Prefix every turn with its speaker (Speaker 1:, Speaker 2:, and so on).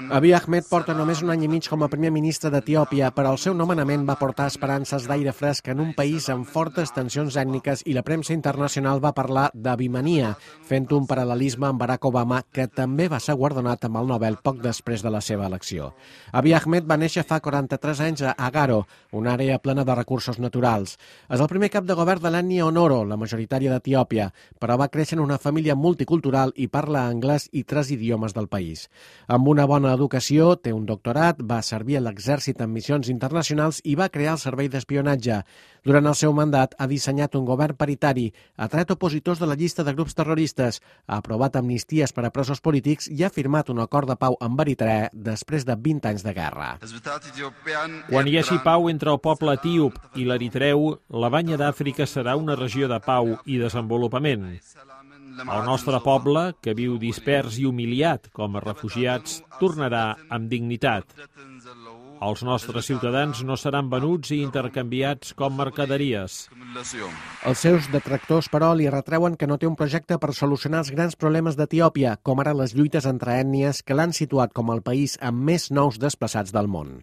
Speaker 1: Abiy Ahmed porta només un any i mig com a primer ministre d'Etiòpia, però el seu nomenament va portar esperances d'aire fresc en un país amb fortes tensions ètniques i la premsa internacional va parlar d'abimania, fent un paral·lelisme amb Barack Obama, que també va ser guardonat amb el Nobel poc després de la seva elecció. Abiy Ahmed va néixer fa 43 anys a Agaro, una àrea plena de recursos naturals. És el primer cap de govern de l'ètnia Onoro, la majoritària d'Etiòpia, però va créixer en una família multicultural i parla anglès i 3 idiomes del país. Amb una bona educació, té un doctorat, va servir a l'exèrcit en missions internacionals i va crear el servei d'espionatge. Durant el seu mandat ha dissenyat un govern paritari, ha tret opositors de la llista de grups terroristes, ha aprovat amnisties per a presos polítics i ha firmat un acord de pau amb Eritrea després de 20 anys de guerra.
Speaker 2: Quan hi hagi pau entre el poble etíop i l'eritreu, la Banya d'Àfrica serà una regió de pau i desenvolupament. El nostre poble, que viu dispers i humiliat com a refugiats, tornarà amb dignitat. Els nostres ciutadans no seran venuts i intercanviats com mercaderies.
Speaker 1: Els seus detractors, però, li retreuen que no té un projecte per solucionar els grans problemes d'Etiòpia, com ara les lluites entre ètnies que l'han situat com el país amb més nous desplaçats del món.